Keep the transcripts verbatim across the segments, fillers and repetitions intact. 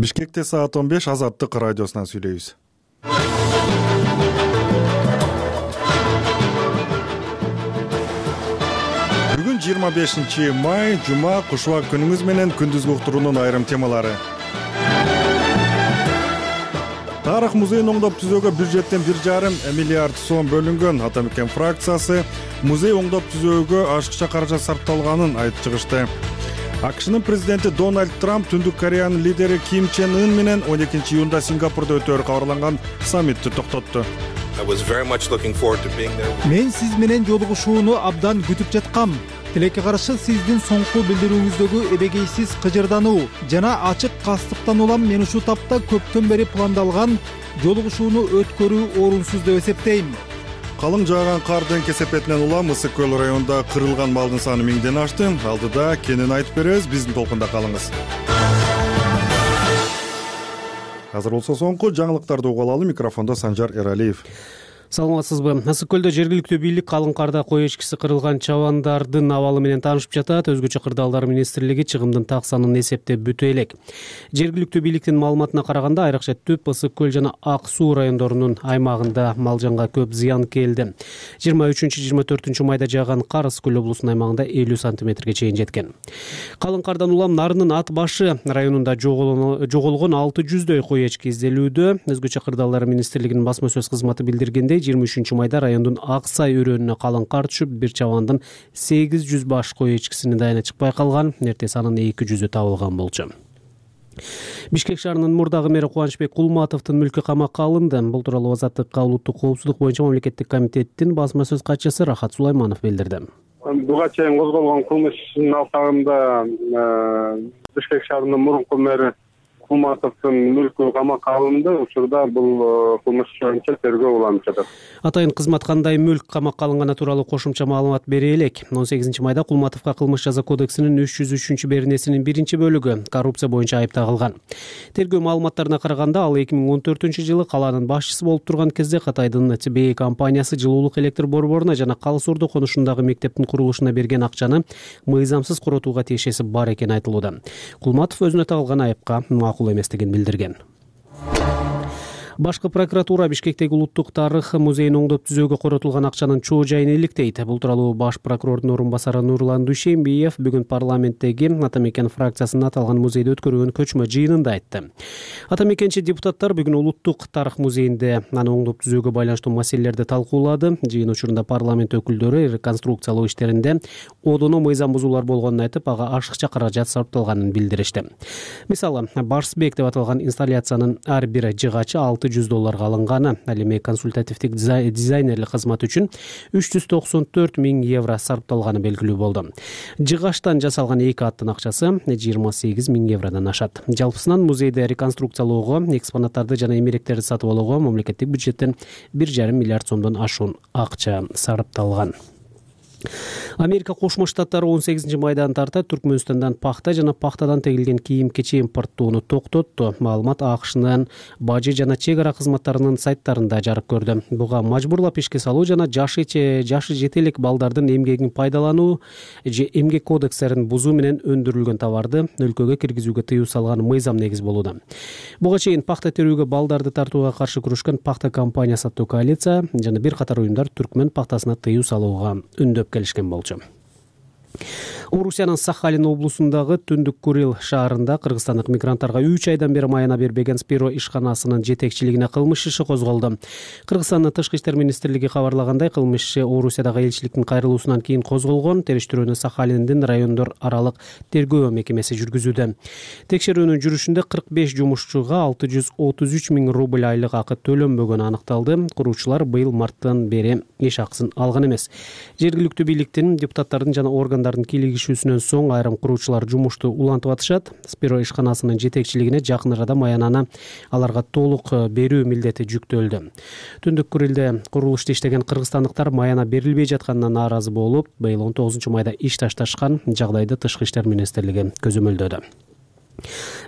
Бишкекте саат он беш Азаттык радиосунан сүйлөйбүз. Бүгүн жыйырма бешинчи май, жума, кушубак күнүңүз менен күндүзгү уктуруунун айрым темалары. Тарых музейин оңдоп түзөөгө бюджеттен бир жарым миллиард сом бөлүнгөн. Атамекен фракциясы музей оңдоп түзөөгө ашыкча каражат сарпталганын айтып чыгышты. АКШнын президенти Дональд Трамп Түндүк Кореянын лидери Ким Чен Ын менен он экинчи июнда Сингапурда өтөөрү кабарланган саммитти токтотту. Мен сиз менен жолугушууну абдан күтүп жаткам. Тилекке каршы сиздин соңку билдирүүңүздөгү эбегейсиз кыжырдануу жана ачык кастыктан улам мен ушул тапта көптөн бери пландалган жолугушууну өткөрүү орунсуз деп эсептейм. Калың жааган кардын кесепетинен улам Ысык көл районунда кырылган малдын саны миңден ашты. Алдыда кенен айтып беребиз, биздин толкунда калыңыз. Азыр болсо соңку жаңылыктарды угуп алалы. Микрофондо Санжар Эралиев. Саламатсызбы? Ысык көлдө жергиликтүү бийлик калың карда кой эчкиси кырылган чабандардын абалы менен таанышып жатат. Өзгөчө кырдаалдар министрлиги чыгымдын так санын эсептеп бүтө элек. Жергиликтүү бийликтин маалыматына караганда айрыкча Түп, Ысык көл жана Ак суу райондорунун аймагында мал жанга көп зыян келди. жыйырма үчүнчү жыйырма төртүнчү майда жааган кар Ысык көл облусунун аймагында элүү сантиметрге чейин жеткен. Калың кардан улам Нарынын Ат башы районунда жоголгон алты жүздөй кой эчки изделүүдө. Өзгөчө кырдаалдар министрлигинин басма сөз кызматы билдиргендей, жыйырма үчүнчү майда райондун Ак сай өрөөнүнө калың кар түшүп, бир чабандын сегиз жүз баш кой эчкисинин дайыны чыкпай калган. Эртең анын эки жүзү табылган болчу. Бишкек шаарынын мурдагы мэри Кубанычбек Кулматовдун мүлкү камакка алынды. Бул тууралуу Азаттыкка улуттук коопсуздук боюнча мамлекеттик комитеттин басма сөз катчысы Рахат Сулайманов билдирди. Буга чейин козголгон кылмыштын алкагында Бишкек шаарынын мурунку мэри Кулматовдун мүлкү камакка алынды. Учурда бул кылмыш боюнча тергөө уланып жатат. Атайын кызмат кандай мүлк камакка алынганы тууралуу кошумча маалымат бере элек. он сегизинчи майда Кулматовго кылмыш жаза кодексинин үч жүз үчүнчү беренесинин биринчи бөлүгү коррупция боюнча айып тагылган. Тергөө маалыматтарына караганда ал эки миң он төртүнчү жылы калаанын башчысы болуп турган кезде Катайдын Ти Би Эй компаниясы жылуулук электр борборуна жана Калыс Ордо конушундагы мектептин курулушуна берген акчаны мыйзамсыз коротууга тиешеси бар экени айтылууда. Кулматов өзүнө тагылган айыпка макул эместигин билдирген. Башкы прокуратура Бишкектеги улуттук тарых музейин оңдоп түзөөгө коротулган акчанын чоо жайын иликтейт. Бул тууралуу баш прокурордун орун басары Нурлан Дүйшенбиев бүгүн парламенттеги Атамекен фракциясынын аталган музейде өткөрүлгөн көчмө жыйынында айтты. Атамекенчи депутаттар бүгүн улуттук тарых музейинде аны оңдоп түзөөгө байланыштуу маселелерди талкуулады. Жыйын учурунда парламент өкүлдөрү реконструкциялоо иштеринде одоно мыйзам бузуулар болгонун айтып, ага ашыкча каражат сарпталганын билдиришти. Мисалы, Барсбек деп аталган инсталляциянын ар бир жыгачы алты жүз долларга алынганы, ал эми консультативдик дизайнерлик кызмат үчүн үч жүз токсон төрт миң евро сарпталганы белгилүү болду. Жыгачтан жасалган эки аттын акчасы жыйырма сегиз миң евродон ашат. Жалпысынан музейде реконструкциялоого, экспонаттарды жана эмеректерди сатып алууга мамлекеттик бюджеттен бир жарым миллиард сомдон ашуун акча сарпталган. Америка Кошмо Штаттары он сегизинчи майдан тарта Түркмөнстандан пахта жана пахтадан тегилген кийим-кечи импорттоону токтотту. Маалымат АКШнын бажы жана чек ара кызматтарынын сайттарында жарык көрдү. Буга мажбурлап ишке салуу жана жашы жашы жете элек балдардын эмгегин пайдалануу же эмгек кодекстерин бузуу менен өндүрүлгөн товарды өлкөгө киргизүүгө тыюу салган мыйзам негиз болууда. Буга чейин пахта терүүгө балдарды тартууга каршы күрөшкөн Пахта компаниясы аттуу коалиция жана бир катар уюмдар түркмөн пахтасына тыюу салууга үндөп келишкен болчу. Орусиянын Сахалин облусундагы Түндүк Курил шаарында кыргызстандык мигранттарга үч айдан бери майына бербеген Спиро ишканасынын жетекчилигине кылмыш иши козголду. Кыргызстандын Тышкы иштер министрлиги кабарлагандай, кылмыш иши Орусиядагы элчиликтин кайрылуусунан кийин козголгон. Териштирүүнү Сахалиндин райондор аралык тергөө мекемеси жүргүзүүдө. Текшерүүнүн жүрүшүндө кырк беш жумушчуга алты жүз отуз үч миң рубль айлык акы төлөнбөгөнү аныкталды. Куруучулар быйыл марттан бери иш акысын алган эмес. Жергиликтүү бийликтин, депутаттардын жана органдардын кийлигишүүсүнөн соң айрым куруучулар жумушту улантып атышат. Спиро ишканасынын жетекчилигине жакын арада маянаны аларга толук берүү милдети жүктөлдү. Түндүк Курилде курулушта иштеген кыргызстандыктар маяна берилбей жатканына нааразы болуп, быйыл он тогузунчу майда иш ташташкан. Жагдайды Тышкы иштер министрлиги көзөмөлдөдү.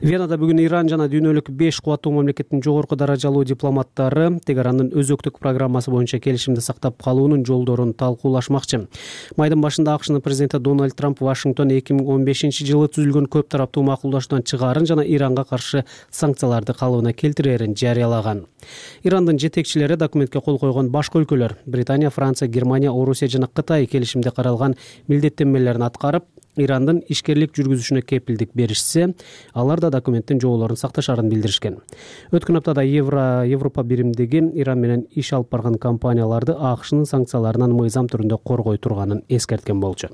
Венада бүгүн Иран жана дүйнөлүк беш кубаттуу мамлекеттин жогорку даражалуу дипломаттары Тегаранын өзөктүк программасы боюнча келишимди сактап калуунун жолдорун талкуулашмакчы. Майдын башында АКШнын президенти Дональд Трамп Вашингтон эки миң он бешинчи жылы түзүлгөн көп тараптуу макулдашуудан чыгаарын жана Иранга каршы санкцияларды калыбына келтирээрин жарыялаган. Ирандын жетекчилери документке кол койгон башка өлкөлөр Британия, Франция, Германия, Орусия жана Кытай келишимде каралган милдеттенмелерин аткарып, Ирандын ишкерлик жүргүзүшүнө кепилдик беришсе, алар да документтин жоболорун сакташаарын билдиришкен. Өткөн аптада Евро Европа биримдиги Иран менен иш алып барган компанияларды АКШнын санкцияларынан мыйзам түрүндө коргой турганын эскерткен болчу.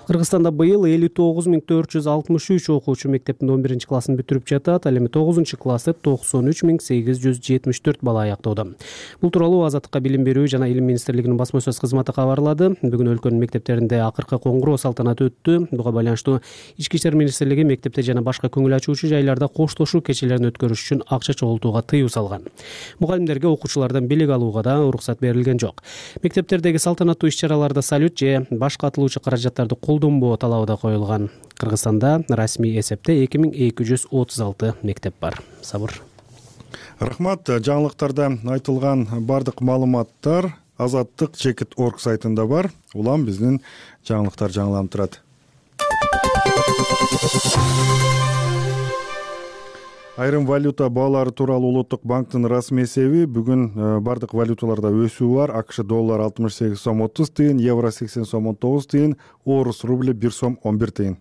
Кыргызстанда быйыл элүү тогуз миң төрт жүз алтымыш үч окуучу мектептин он биринчи классын бүтүрүп жатат. Ал эми тогузунчу классты токсон үч миң сегиз жүз жетимиш төрт бала аяктоодо. Бул тууралуу Азаттыкка билим берүү жана илим министрлигинин басма сөз кызматы кабарлады. Бүгүн өлкөнүн мектептеринде акыркы коңгуроо салтанаты өттү. Буга байланыштуу Ички иштер министрлиги мектепте жана башка көңүл ачуучу жайларда коштошуу кечелерин өткөрүш үчүн акча чогултууга тыюу салган. Мугалимдерге окуучулардан билик алууга да уруксат берилген жок. Мектептердеги салтанаттуу иш-чараларда салют же башка атылуучу каражаттарды колдонбоо талабы да коюлган. Кыргызстанда расмий эсепте эки миң эки жүз отуз алты мектеп бар. Сабыр. Рахмат. Жаңылыктарда айтылган бардык маалыматтар Азаттык чекит точка орг сайтында бар. Улам биздин жаңылыктар жаңыланып турат. Айрым валюта баалары тууралуу Улуттук банктын расмий эсеби бүгүн бардык валюталарда өсүү бар. АКШ доллар алтымыш сегиз сом отуз тыйын, евро сексен сом он тогуз тыйын, орус рубли бир сом он бир тыйын.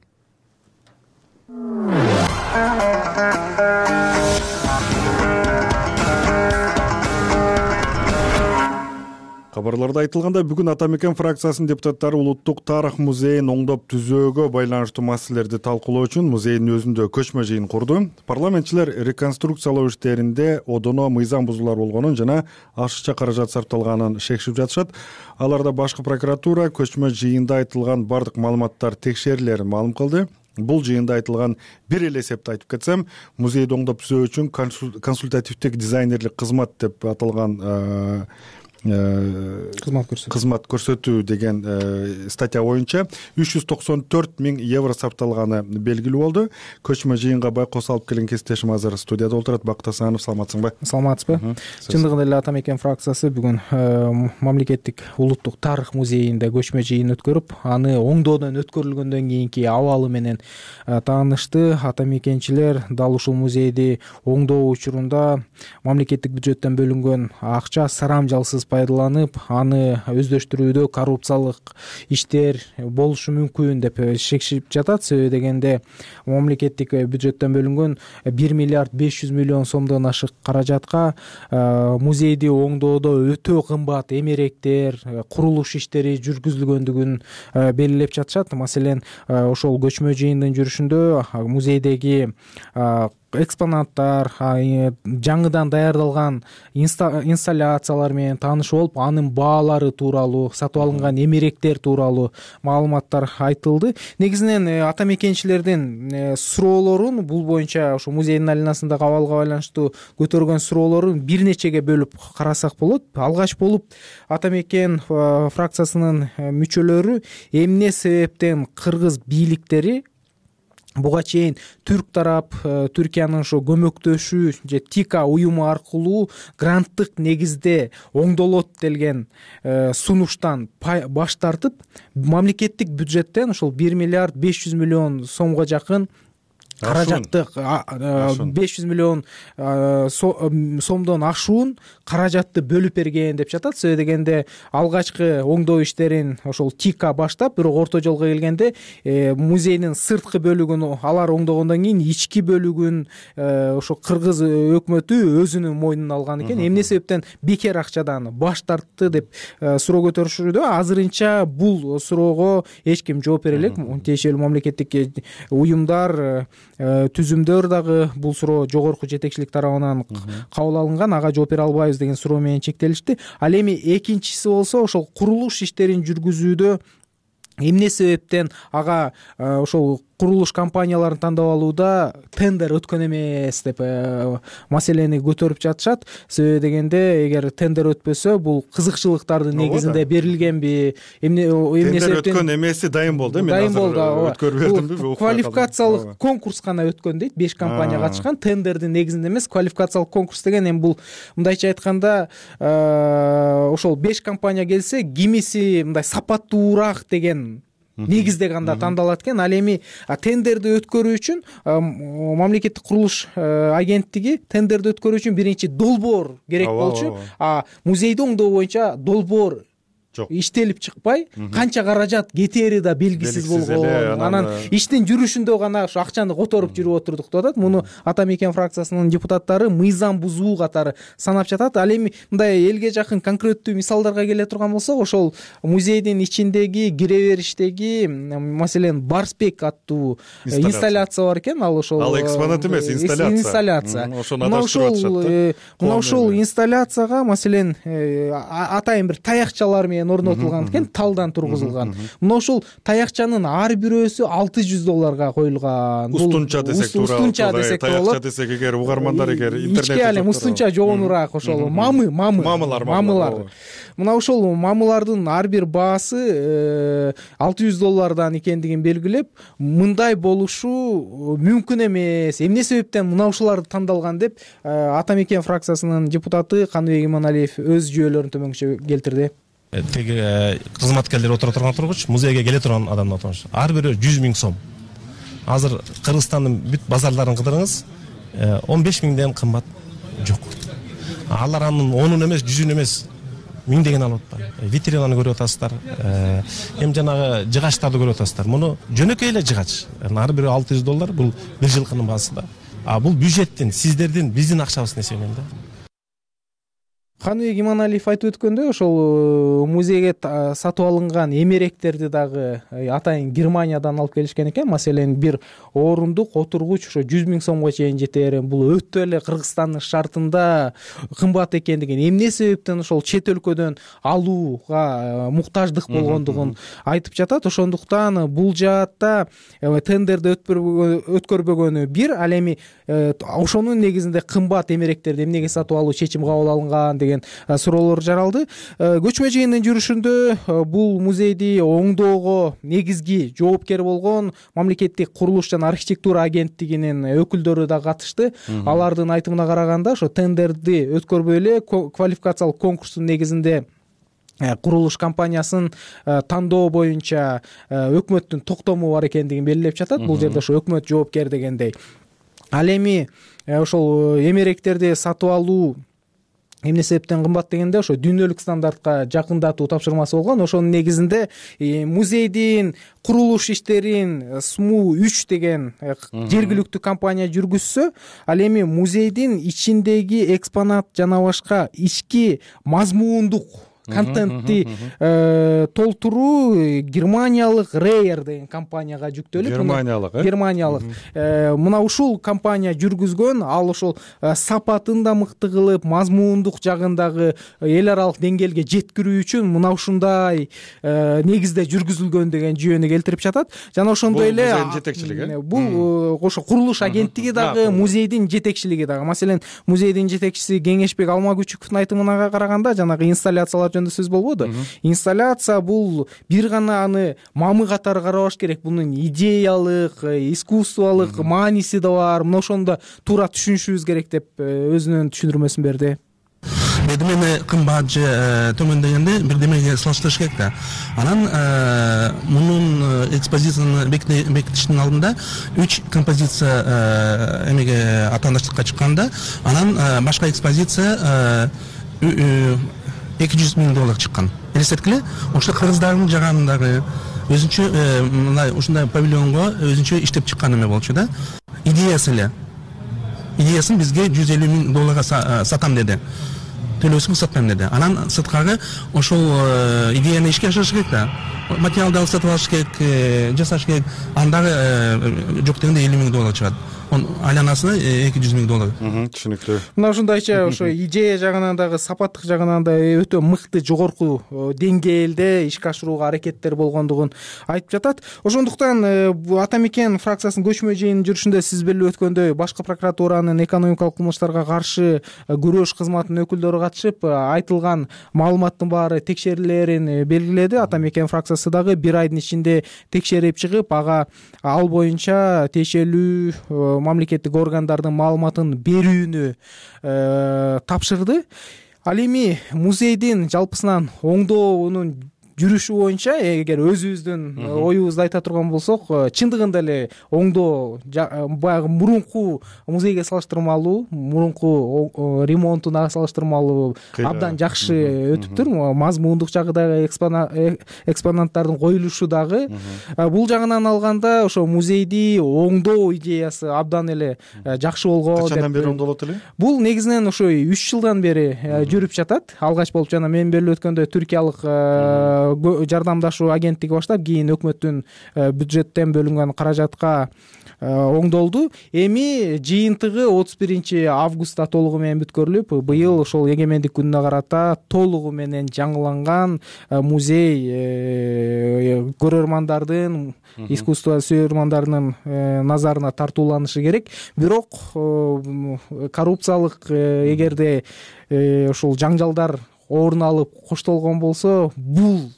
Кабарларда айтылгандай, бүгүн Ата Мекен фракциясынын депутаттары Улуттук тарых музейин оңдоп түзөөгө байланыштуу маселелерди талкуулоо үчүн музейдин өзүндө көчмө жыйын курду. Парламентчилер реконструкциялоо иштеринде одоно мыйзам бузуулар болгонун жана ашыкча каражат сарпталганын шекшип жатышат. Аларда башкы прокуратура көчмө жыйында айтылган бардык маалыматтар текшерилерин маалым кылды. Бул жыйында айтылган бир эле эсепти айтып кетсем, музейди оңдоп түзөө үчүн консультативдик дизайнерлик кызмат деп аталган кызмат көрсөтүү кызмат көрсөтүү деген статья боюнча үч жүз токсон төрт миң евро сарпталганы белгилүү болду. Көчмө жыйынга байкоос алып келген кесиптешим азыр студияда отурат. Бакыт Асанов, саламатсыңбы? Саламатсызбы? Чындыгында эле Ата Мекен фракциясы бүгүн мамлекеттик улуттук тарых музейинде көчмө жыйын өткөрүп, аны оңдоодон өткөрүлгөндөн кийинки абалы менен таанышты. Ата Мекенчилер дал ушул музейди оңдоо учурунда мамлекеттик бюджеттен бөлүнгөн акча сарамжалсыз пайдаланып, аны өздөштүрүүдө коррупциялык иштер болушу мүмкүн деп шекшип жатат. Себеби дегенде мамлекеттик бюджеттен бөлүнгөн бир миллиард беш жүз миллион сомдон ашык каражатка музейди оңдоодо өтө кымбат эмеректер, курулуш иштери жүргүзүлгөндүгүн белгилеп жатышат. Маселен, ошол көчмө жыйындын жүрүшүндө музейдеги экспонаттар, жаңыдан даярдалган инсталляциялар менен таанышып болуп, анын баалары тууралуу, сатып алынган эмеректер тууралуу маалыматтар айтылды. Негизинен ата мекенчилердин суроолорун бул боюнча ошо музейдин алинасындагы абалга байланыштуу көтөргөн суроолорун бир нечеге бөлүп карасак болот. Алгач болуп Ата Мекен фракциясынын мүчөлөрү эмне себептен кыргыз бийликтери буга чейин түрк тарап Түркиянын ошо көмөктөшүү же ТИКА уюму аркылуу гранттык негизде оңдолот делген сунуштан баш тартып, мамлекеттик бюджеттен ошол бир миллиард беш жүз миллион сомго жакын каражатты, беш жүз миллион сомдон ашуун каражатты бөлүп берген деп жатат. Себеби дегенде алгачкы оңдоо иштерин ошол ТИКА баштап, бирок орто жолго келгенде музейдин сырткы бөлүгүн алар оңдогондон кийин ички бөлүгүн ошо кыргыз өкмөтү өзүнүн мойнуна алган экен. Эмне себептен бекер акчадан баш тартты деп суроо көтөрүшүүдө, азырынча бул суроого эч ким жооп бере элек. Тиешелүү мамлекеттик уюмдар, түзүмдөр дагы бул суроо жогорку жетекчилик тарабынан кабыл алынган, ага жооп бере албайбыз деген суроо менен чектелишти. Ал эми экинчиси болсо ошол курулуш иштерин жүргүзүүдө эмне себептен ага ошол курулуш компанияларын тандап алууда тендер өткөн эмес деп маселени көтөрүп жатышат. Себеби дегенде эгер тендер өтпөсө бул кызыкчылыктардын негизинде берилгенби, эмне эмне себептен тендер өткөн эмеси дайым болду. Мен дайым болду. өткөрбөдүмбү? Квалификациялык конкурс гана өткөн дейт. беш компания катышкан. Тендердин негизинде эмес, квалификациялык конкурс деген эми бул мындайча айтканда ошол беш компания келсе, кимиси мындай сапаттуураак деген негизде гана тандалат экен. Ал эми тендерди өткөрүү үчүн мамлекеттик курулуш агенттиги тендерди өткөрүү үчүн биринчи долбоор керек болчу. А музейди оңдоо боюнча долбоор жок, иштелип чыкпай, канча каражат кетери да белгисиз болгон. Анан иштин жүрүшүндө гана ошо акчаны которуп жүрүп отурдук деп атат. Муну Ата Мекен фракциясынын депутаттары мыйзам бузуу катары санап жатат. Ал эми мындай элге жакын конкреттүү мисалдарга келе турган болсок, ошол музейдин ичиндеги кире бериштеги, маселен, Барспек аттуу инсталляция бар экен. Ал ошол ал экспонат эмес, инсталляция. Инсталляция. Ошону адаштырып атышат. Мына ошол инсталляцияга, маселен, атайын бир таякчалар менен орнотулган экен, талдан тургузулган. Мына ошол таякчанын ар бирөөсү алты жүз долларга коюлган. Устунча десек туура. Устунча десек болот. Таякча десек эгер угармандар эгер интернетте ички алем устунча жогонураак ошол мамы, мамы. Мамылар, мамылар. Мына ошол мамылардын ар бир баасы алты жүз доллардан экендигин белгилеп, мындай болушу мүмкүн эмес. Эмне себептен мына ушуларды тандалган деп Ата Мекен фракциясынын депутаты Каныбек Иманалиев өз жүйөлөрүн төмөнчө келтирди. Теги кызматкерлер отура турган тургуч, музейге келе турган адамдар отурган. Ар бирөө жүз миң сом. Азыр Кыргызстандын бүт базарларын кыдырыңыз, он беш миңден кымбат жок. Алар анын онун эмес, жүзүн эмес, миңдеген алып атпайбы. Витринаны көрүп атасыздар, эми жанагы жыгачтарды көрүп атасыздар. Муну жөнөкөй эле жыгач. Ар бирөө алты жүз доллар, бул бир жылкынын баасы да. А бул бюджеттин, сиздердин, биздин акчабыздын эсебинен да. Каныбек Иманалиев айтып өткөндөй, ошол музейге сатып алынган эмеректерди дагы атайын Германиядан алып келишкен экен. Маселен, бир орундук отургуч ошо жүз миң сомго чейин жетер. Бул өтө эле Кыргызстандын шартында кымбат экендигин, эмне себептен ошол чет өлкөдөн алууга муктаждык болгондугун айтып жатат. Ошондуктан бул жаатта тендерди өткөрбөгөнү бир, ал эми ошонун негизинде кымбат эмеректерди эмнеге сатып алуу чечим кабыл алынган деген суроолор жаралды. Көчмө жыйындын жүрүшүндө бул музейди оңдоого негизги жоопкер болгон мамлекеттик курулуш жана архитектура агенттигинин өкүлдөрү да катышты. Алардын айтымына караганда, ошо тендерди өткөрбөй эле квалификациялык конкурстун негизинде курулуш компаниясын тандоо боюнча өкмөттүн токтому бар экендигин белгилеп жатат. Бул жерде ошо өкмөт жоопкер дегендей. Ал эми ошол эмеректерди сатып алуу эмне себептен кымбат дегенде, ошо дүйнөлүк стандартка жакындатуу тапшырмасы болгон. Ошонун негизинде музейдин курулуш иштерин СМУ үч деген жергиликтүү компания жүргүзсө, ал эми музейдин ичиндеги экспонат жана башка ички мазмундук контентти толтуруу германиялык Рейер деген компанияга жүктөлүп, Германиялык, э? Германиялык. Мына ушул компания жүргүзгөн. Ал ошол сапатын да мыкты кылып, мазмундук жагындагы эл аралык деңгээлге жеткирүү үчүн мына ушундай негизде жүргүзүлгөн деген жүйөнү келтирип жатат. Жана ошондой эле музейдин жетекчилиги. Бул ошо курулуш агенттиги дагы, музейдин жетекчилиги дагы. Маселен, музейдин жетекчиси Кеңешбек Алмагүчүковдун айтымына караганда, жанагы инсталляциялар жөнүндө сөз болбоду. Инсталляция бул бир гана аны мамы катары карабаш керек. Бунун идеялык, искусстволук мааниси да бар. Мына ошондо туура түшүнүшүбүз керек деп өзүнүн түшүндүрмөсүн берди. Бирдемени кымбат же төмөн дегенде бирдемеге салыштырыш керек да. Анан мунун экспозицияны бекитиштин алдында үч композиция эмеге атаандаштыкка чыкканда, анан башка экспозиция эки жүз миң доллар чыккан. Элестеткиле, ошо кыргыздардын жагандагы өзүнчө мындай ушундай павильонго өзүнчө иштеп чыккан эме болчу да. Идеясы эле. Идеясын бизге жүз элүү миң долларга сатам деди. төлөөсүн сатпайм деди. Анан сыткагы ошол идеяны ишке ашырыш керек да. Материалды сатып алыш керек, жасаш керек. Андагы жок дегенде элүү миң доллар чыгат. Айланасы эки жүз миң доллар. Түшүнүктүү. Мына ушундайча ошо идея жагынан дагы, сапаттык жагынан да өтө мыкты, жогорку деңгээлде ишке ашырууга аракеттер болгондугун айтып жатат. Ошондуктан Атамекен фракциясынын көчмө жыйынын жүрүшүндө сиз белип өткөндөй башкы прокуратуранын экономикалык кылмыштарга каршы күрөш кызматынын өкүлдөрү катышып, айтылган маалыматтын баары текшерилерин белгиледи. Атамекен фракциясы дагы бир айдын ичинде текшерип чыгып, ага ал боюнча тиешелүү мамлекеттик органдардын маалыматын берүүнү тапшырды. Ал эми музейдин жалпысынан оңдоонун жүрүшү боюнча эгер өзүбүздүн оюбузду айта турган болсок, чындыгында эле оңдоо баягы мурунку музейге салыштырмалуу, мурунку ремонтуна салыштырмалуу абдан жакшы өтүптүр. Мазмундук жагы дагы, экспонаттардын коюлушу дагы. Бул жагынан алганда ошо музейди оңдоо идеясы абдан эле жакшы болгон. Качандан бери оңдолот эле? Бул негизинен ошо үч жылдан бери жүрүп жатат. Алгач болуп жана мен белип өткөндөй түркиялык жардамдашуу агенттиги баштап, кийин өкмөттүн бюджеттен бөлүнгөн каражатка оңдолду. Эми жыйынтыгы отуз биринчи августта толугу менен бүткөрүлүп, быйыл ошол эгемендик күнүнө карата толугу менен жаңыланган музей көрөрмандардын, искусство сүйөрмандарынын назарына тартууланышы керек. Бирок коррупциялык эгерде ошол жаңжалдар орун алып коштолгон болсо, бул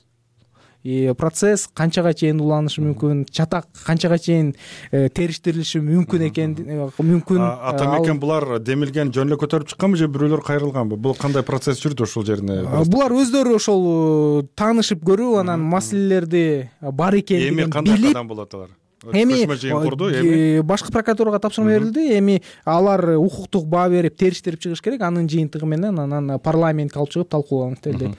процесс канчага чейин уланышы мүмкүн, чатак канчага чейин териштирилиши мүмкүн экен мүмкүн. Атамекен булар демилген жөн эле көтөрүп чыкканбы же бирөөлөр кайрылганбы? Бул кандай процесс жүрдү ошол жерине? Булар өздөрү ошол таанышып көрүп, анан маселелерди бар экендигин билип. Эми кандай кадам болот алар? Эми башкы прокуратурага тапшырма берилди. Эми алар укуктук баа берип териштирип чыгыш керек. Анын жыйынтыгы менен анан парламентке алып чыгып талкууланат делди.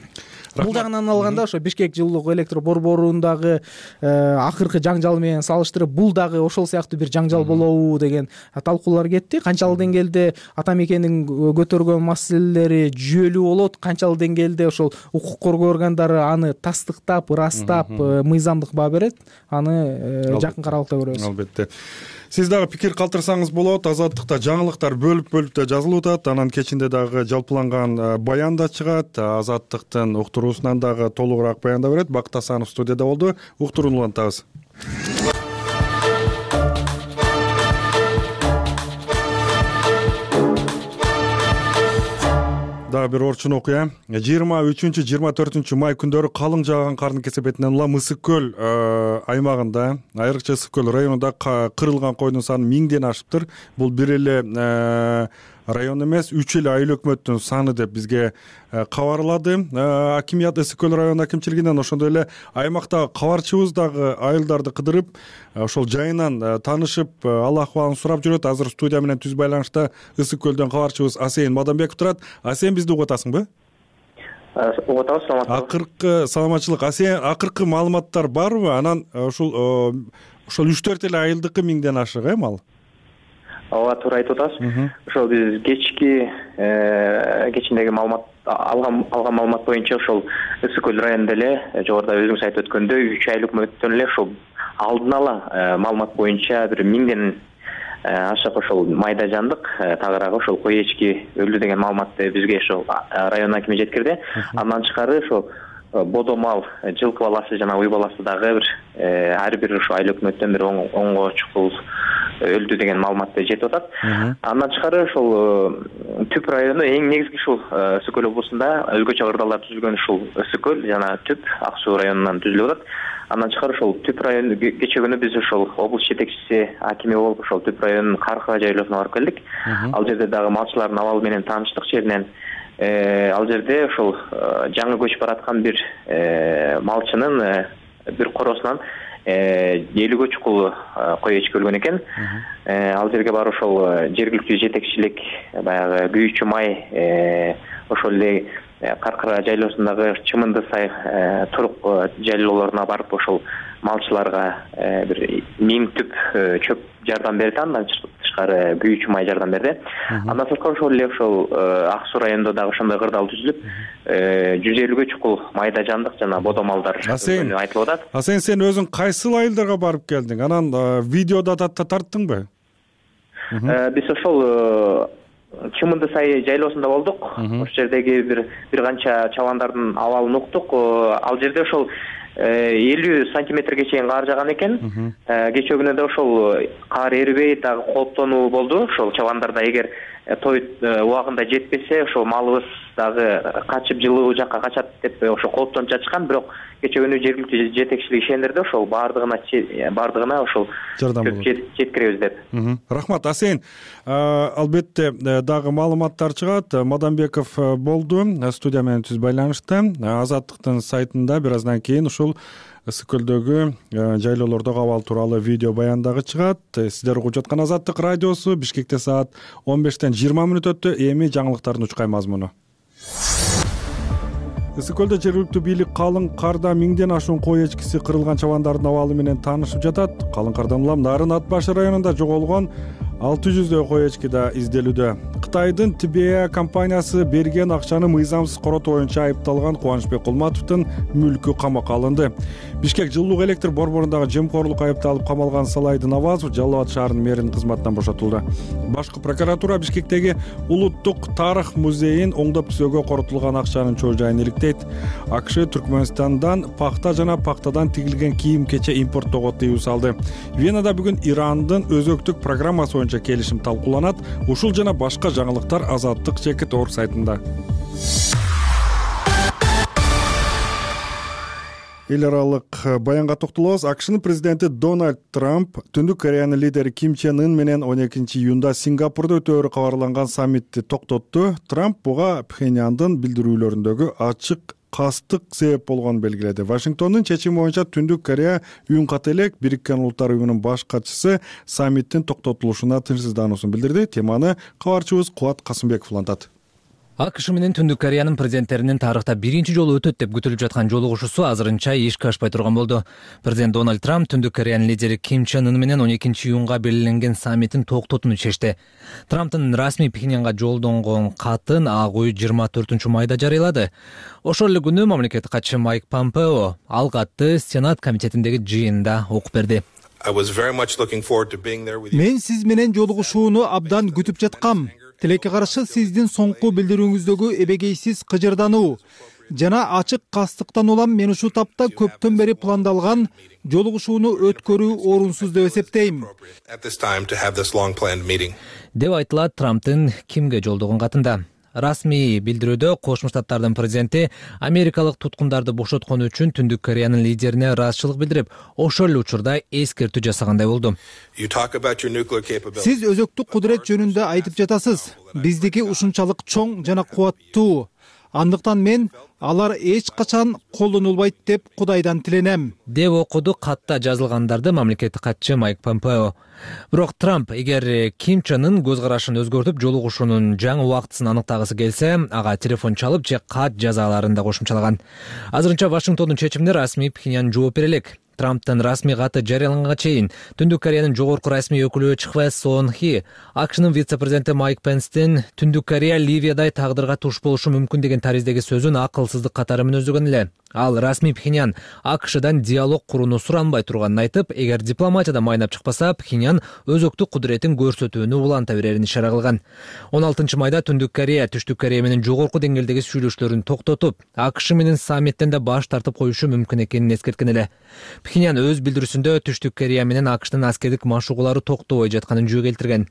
Бул жагынан алганда ошо Бишкек жылуулук электр борборундагы акыркы жаңжал менен салыштырып, бул дагы ошол сыяктуу бир жаңжал болобу деген талкуулар кетти. Канчалык деңгээлде Атамекендин көтөргөн маселелери жүйөлүү болот, канчалык деңгээлде ошол укук коргоо органдары аны тастыктап, ырастап, мыйзамдык баа берет, аны жакын каралыкта көрөбүз. Албетте. Сиз дагы пикир калтырсаңыз болот. Азаттыкта жаңылыктар бөлүп-бөлүп да жазылып атат. Анан кечинде дагы жалпыланган баян да чыгат. Азаттыктын уктуруусунан дагы толугураак баянда берет. Бакыт Асанов студияда болду. Уктурууну улантабыз. Дагы бир орчун окуя. жыйырма үчүнчү жыйырма төртүнчү май күндөрү калың жааган кардын кесепетинен улам Ысык көл аймагында, айрыкча Ысык көл районунда кырылган койдун саны миңден ашыптыр. Бул бир эле район эмес, үч эле айыл өкмөттүн саны деп бизге кабарлады акимият, Ысык көл район акимчилигинен. Ошондой эле аймактагы кабарчыбыз дагы айылдарды кыдырып, ошол жайынан таанышып, ал акыбалын сурап жүрөт. Азыр студия менен түз байланышта Ысык көлдөн кабарчыбыз Асейин Мадамбеков турат. Асейин, бизди угуп атасыңбы? Угуп атабыз. Саламатсызбы? Акыркы саламатчылык. Асейин, акыркы маалыматтар барбы? Анан ушул ошол үч төрт эле айылдыкы миңден ашык эми ал? Ооба, туура айтып атасыз. Ошол биз кечки кечиндеги маалымат алган алган маалымат боюнча ошол Ысык көл районунда эле жогоруда өзүңүз айтып өткөндөй үч айыл өкмөттөн эле ошол алдын ала маалымат боюнча бир миңден ашык ошол майда жандык тагыраагы ошол кой эчки өлдү деген маалыматты бизге ошол район акими жеткирди. Андан тышкары ошол бодо мал, жылкы баласы жана уй баласы дагы бир ар бир ошо айыл өкмөттөн бир оңго чукул өлдү деген маалыматты жетип атат. Андан тышкары ошол Түп району эң негизги ушул Ысык көл облусунда өзгөчө ырдалар түзүлгөн ушул Ысык көл жана Түп Ак суу районунан түзүлүп атат. Андан тышкары ошол Түп району кечээ күнү биз ошол облус жетекчиси акими болуп ошол Түп районунун Каркыга жайлоосуна барып келдик. Ал жерде дагы малчылардын абалы менен тааныштык жеринен. Ал жерде ошол жаңы көчүп бараткан бир малчынын бир коросунан элүүгө чукул кой эчки өлгөн экен. Ал жерге барып ошол жергиликтүү жетекчилик, баягы Күйүүчү май, ошол эле Каркыра жайлоосундагы Чымынды сай турук жайлоолоруна барып ошол малчыларга бир миң түп чөп жардам берди. Андан тышкары күйүүчү май жардам берди. Андан сырткары ошол эле ошол Ак Суу районунда дагы ошондой кырдаал түзүлүп, жүз элүүгө чукул майда жандык жана бодо малдар айтылып атат. Асен, сен өзүң кайсыл айылдарга барып келдиң? Анан видеода тарттыңбы? Биз ошол Чымынды сай жайлоосунда болдук. Ошол жердеги бир бир канча чабандардын абалын уктук. Ал жерде ошол элүү сантиметрге чейин кар жаган экен. Кечээ күнү да ошол кар эрибей дагы кооптонуу болду. Ошол чабандарда эгер той убагында жетпесе, ошол малыбыз дагы качып жылуу жакка качат деп ошо кооптонуп жатышкан. Бирок кечээ күнү жергиликтүү жетекчилик ишендирди, ошол баардыгына баардыгына ошол жардам жеткиребиз деп. Рахмат. Асен, албетте дагы маалыматтар чыгат. Мадамбеков болду студия менен түз байланышта. Азаттыктын сайтында бир аздан кийин ушул ысык көлдөгү жайлоолордогу абал тууралуу видео баян дагы чыгат. Сиздер угуп жаткан Азаттык радиосу. Бишкекте саат он бештен жыйырма мүнөт өттү. Эми жаңылыктардын учкай мазмуну. Ысык көлдө жергиликтүү бийлик калың карда миңден ашуун кой эчкиси кырылган чабандардын абалы менен таанышып жатат. Калың кардан улам Нарын Ат башы районунда жоголгон алты жүздөй кой эчки да изделүүдө. Кытайдын Тибея компаниясы берген акчаны мыйзамсыз коротуу боюнча айыпталган Кубанычбек Кулматовдун мүлкү камакка алынды. Бишкек жылуулук электр борборундагы жемкорлук айыпталып камалган Салайдын Авазов Жалал Абад шаарынын мэринин кызматынан бошотулду. Башкы прокуратура Бишкектеги Улуттук тарых музейин оңдоп түзөөгө коротулган акчанын чоо жайын иликтейт. АКШ Түркмөнстандан пахта жана пахтадан тигилген кийим-кече импорттоого тыюу салды. Венада бүгүн Ирандын өзөктүк программасы боюнча келишим талкууланат. Ушул жана башка жаңылыктар Азаттык Чекит Орг сайтында. Эл аралык баянга токтолобуз. АКШнын президенти Дональд Трамп Түндүк Кореянын лидери Ким Чен Ын менен он экинчи июнда Сингапурда өтөөрү кабарланган саммитти токтотту. Трамп буга Пхеньяндын билдирүүлөрүндөгү ачык кастык себеп болгонун белгиледи. Вашингтондун чечими боюнча Түндүк Корея үн ката элек Бириккен Улуттар уюмунун баш катчысы саммиттин токтотулушуна тынчсыздануусун билдирди. Теманы кабарчыбыз Кубат Касымбеков улантат. АКШ менен Түндүк Кореянын президенттеринин тарыхта биринчи жолу өтөт деп күтүлүп жаткан жолугушуусу азырынча ишке ашпай турган болду. Президент Дональд Трамп Түндүк Кореянын лидери Ким Чен Ын менен он экинчи июнга белгиленген саммитин токтотууну чечти. Трамптын расмий Пхеньянга жолдонгон катын Ак үй жыйырма төртүнчү майда жарыялады. Ошол эле күнү мамлекеттик катчы Майк Помпео ал катты Сенат комитетиндеги жыйында окуп берди. Мен сиз менен жолугушууну абдан күтүп жаткам. Тилекке каршы сиздин соңку билдирүүңүздөгү эбегейсиз кыжырдануу жана ачык кастыктан улам мен ушул тапта көптөн бери пландалган жолугушууну өткөрүү орунсуз деп эсептейм, деп айтылат Трамптын Кимге жолдогон катында. Расмий билдирүүдө Кошмо Штаттардын президенти америкалык туткундарды бошоткон үчүн Түндүк Кореянын лидерине ыраазычылык билдирип, ошол эле учурда эскертүү жасагандай болду. Сиз өзөктүк кудурет жөнүндө айтып жатасыз. Биздики ушунчалык чоң жана кубаттуу. Андыктан мен алар эч качан колдонулбайт деп Кудайдан тиленем, деп окуду катта жазылгандарды мамлекеттик катчы Майк Помпео. Бирок Трамп эгер Ким Чен Ын көз карашын өзгөртүп жолугушуунун жаңы убактысын аныктагысы келсе, ага телефон чалып же кат жаза аларын да кошумчалаган. Азырынча Вашингтондун чечимине расмий Пхеньян жооп бере элек. Трамптын расмий каты жарыяланганга чейин Түндүк Кореянын жогорку расмий өкүлү Чхве Сон Хи АКШнын вице-президенти Майк Пенстин Түндүк Корея Ливиядай тагдырга туш болушу мүмкүн деген тариздеги сөзүн акылсыздык катары мүнөздөгөн эле. Ал расмий Пхеньян АКШдан диалог курууну суранбай турганын айтып, эгер дипломатияда майнап чыкпаса, Пхеньян өзөктүк кудуретин көрсөтүүнү уланта берерин ишара кылган. он алтынчы майда Түндүк Корея Түштүк Корея менен жогорку деңгээлдеги сүйлөшүүлөрүн токтотуп, АКШ менен саммиттен да баш тартып коюшу мүмкүн экенин эскерткен эле. Пхеньян өз билдирүүсүндө Түштүк Корея менен АКШтын аскердик машыгуулары токтобой жатканын жөө келтирген.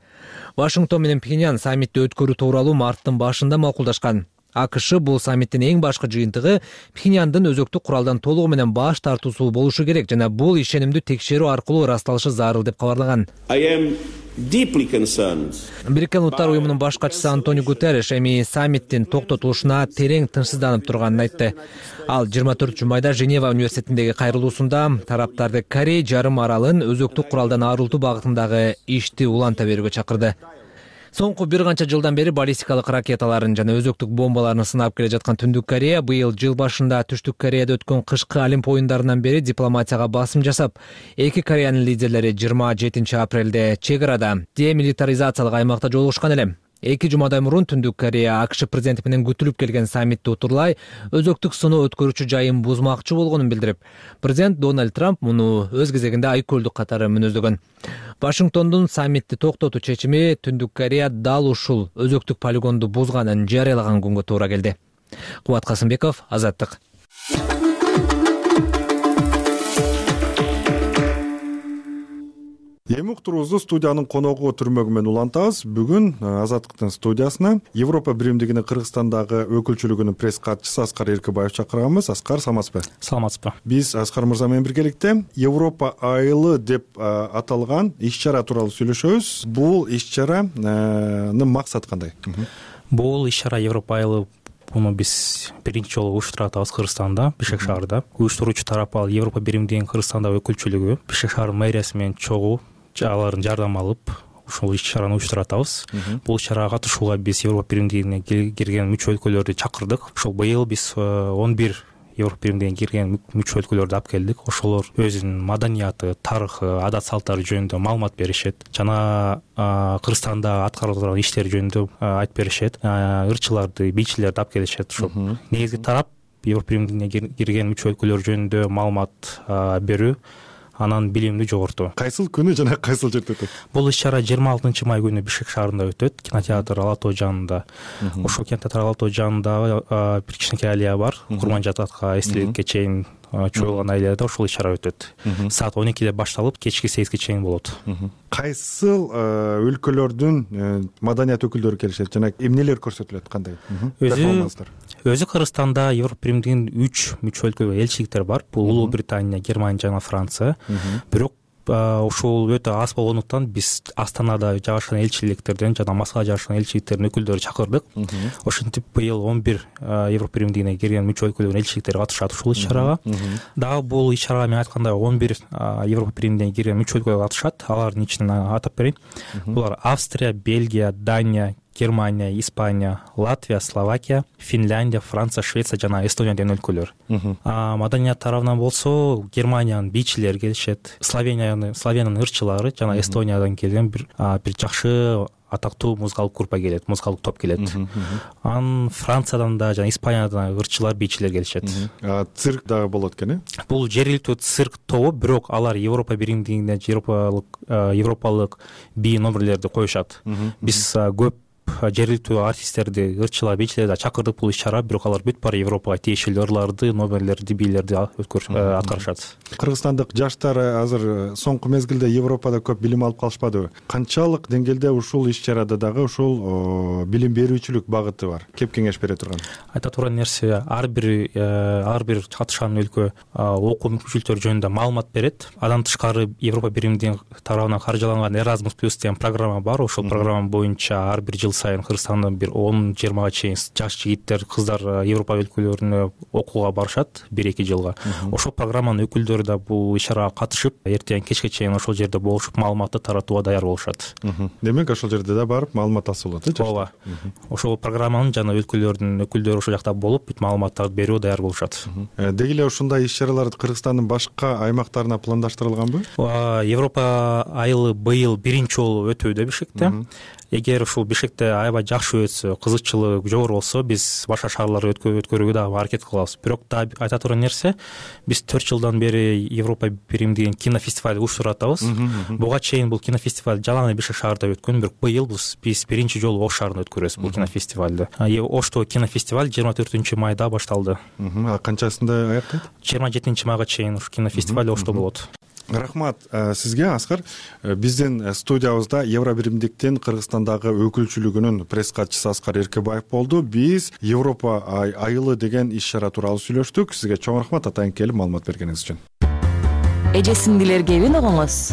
Вашингтон менен Пхеньян саммитти өткөрүү тууралуу марттын башында макулдашкан. АКШ бул саммиттин эң башкы жыйынтыгы Пхеньяндын өзөктүк куралдан толугу менен баш тартуусу болушу керек жана бул ишенимдүү текшерүү аркылуу ырасталышы зарыл деп кабарлаган. Бириккен Улуттар уюмунун баш катчысы Антонио Гутерриш эми саммиттин токтотулушуна терең тынчсызданып турганын айтты. Ал жыйырма төртүнчү майда Женева университетиндеги кайрылуусунда тараптарды Корей жарым аралын өзөктүк куралдан арылтуу багытындагы ишти уланта берүүгө чакырды. Соңку бир канча жылдан бери баллистикалык ракеталарын жана өзөктүк бомбаларын сынап келе жаткан Түндүк Корея быйыл жыл башында Түштүк Кореяда өткөн кышкы Олимп оюндарынан бери дипломатияга басым жасап, эки Кореянын лидерлери жыйырма жетинчи апрелде чек арада демилитаризациялык аймакта жолугушкан эле. Эки жумадай мурун Түндүк Корея АКШ президенти менен күтүлүп келген саммитти утурлай өзөктүк сыноо өткөрүүчү жайын бузмакчы болгонун билдирип, президент Дональд Трамп муну өз кезегинде айкөлдүк катары мүнөздөгөн. Вашингтондун саммитти токтотуу чечими Түндүк Корея дал ушул өзөктүк полигонду бузганын жарыялаган күнгө туура келди. Кубат Касымбеков, Азаттык. Эми уктуруубузду студиянын коногу түрмөгү менен улантабыз. Бүгүн Азаттыктын студиясына Европа биримдигинин Кыргызстандагы өкүлчүлүгүнүн пресс катчысы Аскар Эркебаев чакырганбыз. Аскар, саламатсызбы? Саламатсызбы. Биз Аскар мырза менен биргеликте Европа айылы деп аталган иш-чара тууралуу сүйлөшөбүз. Бул иш-чаранын максаты кандай? Бул иш-чара Европа айылы муну биз биринчи жолу уюштуруп атабыз Кыргызстанда, Бишкек шаарында. Уюштуруучу тарап ал Европа биримдигинин Кыргызстандагы өкүлчүлүгү, Бишкек шаарынын мэриясы менен чогуу алардын жардам алып, ушул иш-чараны уюштуруп атабыз. Бул иш-чарага катышууга биз Европа биримдигине кирген мүчө өлкөлөрдү чакырдык. Ошол быйыл биз он бир Европа биримдигине кирген мүчө өлкөлөрдү алып келдик. Ошолор өзүнүн маданияты, тарыхы, адат салттары жөнүндө маалымат беришет жана Кыргызстанда аткарылып турган иштер жөнүндө айтып беришет. Ырчыларды, бийчилерди алып келишет. Ошол негизги тарап Европа биримдигине кирген мүчө өлкөлөр жөнүндө маалымат берүү, анан билимди жогортуу. Кайсыл күнү жана кайсыл жерде өтөт? Бул иш-чара жыйырма алтынчы май күнү Бишкек шаарында өтөт, кинотеатр Ала тоо жанында. Ошол кинотеатр Ала тоо жанында бир кичинекей алия бар, Курманжат атка эстеликке чейин чоюлган алияда ошол иш-чара өтөт. Саат он экиде башталып, кечки сегизге чейин болот. Кайсыл өлкөлөрдүн маданият өкүлдөрү келишет жана эмнелер көрсөтүлөт, кандай? Өзү өзү Кыргызстанда Европа биримдигинин үч мүчө өлкөгө элчиликтер бар. Бул Улуу Британия, Германия жана Франция. Бирок ушул өтө аз болгондуктан биз Астанада жайгашкан элчиликтерден жана Москвада жайгашкан элчиликтердин өкүлдөрүн чакырдык. Ошентип быйыл он бир Европа биримдигине кирген мүчө өлкөлөрдүн элчиликтери катышат ушул иш-чарага. Дагы бул иш-чарага мен айткандай он бир Европа биримдигине кирген мүчө өлкөлөр катышат. Алардын ичинен атап берейин. Булар Австрия, Бельгия, Дания, Германия, Испания, Латвия, Словакия, Финляндия, Франция, Швеция жана Эстония деген өлкөлөр. Маданият тарабынан болсо Германиянын бийчилери келишет, Словениянын Словениянын ырчылары жана Эстониядан келген бир бир жакшы атактуу музыкалык группа келет, музыкалык топ келет. Анан Франциядан да жана Испаниядан ырчылар, бийчилер келишет. Цирк дагы болот экен, э? Бул жергиликтүү цирк тобу, бирок алар Европа биримдигине европалык европалык бий номерлерди коюшат. Биз көп жергиликтүү артисттерди, ырчылар, бийчилерди чакырдык бул иш-чара, бирок алар бүт баары Европага тиешелүү ырларды, номерлерди, бийлерди аткарышат. Кыргызстандык жаштар азыр соңку мезгилде Европада көп билим алып калышпадыбы? Канчалык деңгээлде ушул иш-чарада дагы ушул билим берүүчүлүк багыты бар? Кеп кеңеш бере турган? Айта турган нерсе, ар бир ар бир катышкан өлкө окуу мүмкүнчүлүктөрү жөнүндө маалымат берет. Андан тышкары Европа биримдигинин тарабынан каржыланган Erasmus Plus деген программа бар. Ошол программа боюнча ар бир жыл сайын Кыргызстандан бир он жыйырмага чейин жаш жигиттер, кыздар Европа өлкөлөрүнө окууга барышат бир эки жылга. Ошол программанын өкүлдөрү да бул иш-чарага катышып, эртең кечке чейин ошол жерде болушуп, маалыматты таратууга даяр болушат. Демек ошол жерде да барып маалымат алсалат, э? Ооба. Ошол программанын жана өлкөлөрдүн өкүлдөрү ошол жакта болуп, бүт маалыматтарды берүүгө даяр болушат. Деги эле ушундай иш-чаралар Кыргызстандын башка аймактарына пландаштырылганбы? Европа айылы быйыл биринчи жолу өтүүдө Бишкекте. Эгер ушул Бишкекте аябай жакшы өтсө, кызыкчылыгы жогору болсо, биз башка шаарларда өткөрүүгө дагы аракет кылабыз. Бирок да айта турган нерсе, биз төрт жылдан бери Европа биримдигинин кинофестиваль уюштуруп атабыз. Буга чейин бул кинофестиваль жалаң эле Бишкек шаарында өткөн, бирок быйыл биз биринчи жолу Ош шаарында өткөрөбүз бул кинофестивалды. Ошто кинофестиваль жыйырма төртүнчү майда башталды. Канчасында аяктайт? жыйырма жетинчи майга чейин ушу кинофестиваль Ошто болот. Рахмат сизге, Аскар. Биздин студиябызда Европа биримдиктин Кыргызстандагы өкүлчүлүгүнүн пресс катчысы Аскар Эркебаев болду. Биз Европа айылы деген иш-чара тууралуу сүйлөштүк. Сизге чоң рахмат атайын келип маалымат бергениңиз үчүн. Эже сиңдилер кебин огоңуз?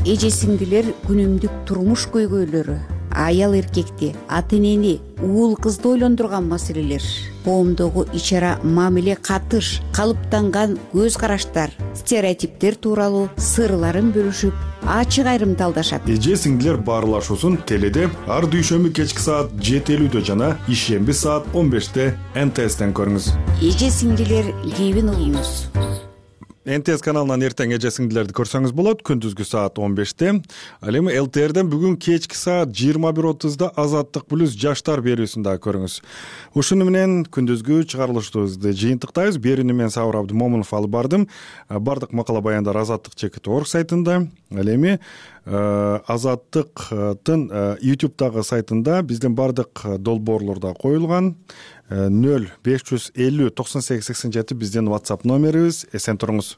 Эже сиңдилер күнүмдүк турмуш көйгөйлөрү, аял эркекти, ата энени, уул кызды ойлондурган маселелер, коомдогу ичара мамиле катыш, калыптанган көз караштар, стереотиптер тууралуу сырларын бөлүшүп, ачык айрымталдашат. Эже сиңдилер баарлашуусун теледе ар дүйшөмбү кечки саат жети элүүдө жана ишемби саат он беште эн тэ эстен көрүңүз. Эже сиңдилер кебин угуңуз. эн тэ эс каналынан эртең эже сиңдилерди көрсөңүз болот, күндүзгү саат он беште. Ал эми эл тэ эрден бүгүн кечки саат жыйырма бир отузда Азаттык плюс жаштар берүүсүн дагы көрүңүз. Ушуну менен күндүзгү чыгарылышыбызды жыйынтыктайбыз. Берүүнү мен Сабыр Абдымомунов алып бардым. Бардык макала баяндар азаттык чекит точка орг сайтында. Ал эми Азаттыктын ютубтагы сайтында биздин бардык долбоорлор да коюлган. нөл беш жүз элүү токсон сегиз сексен жети биздин WhatsApp номерибиз. Эсен туруңуз.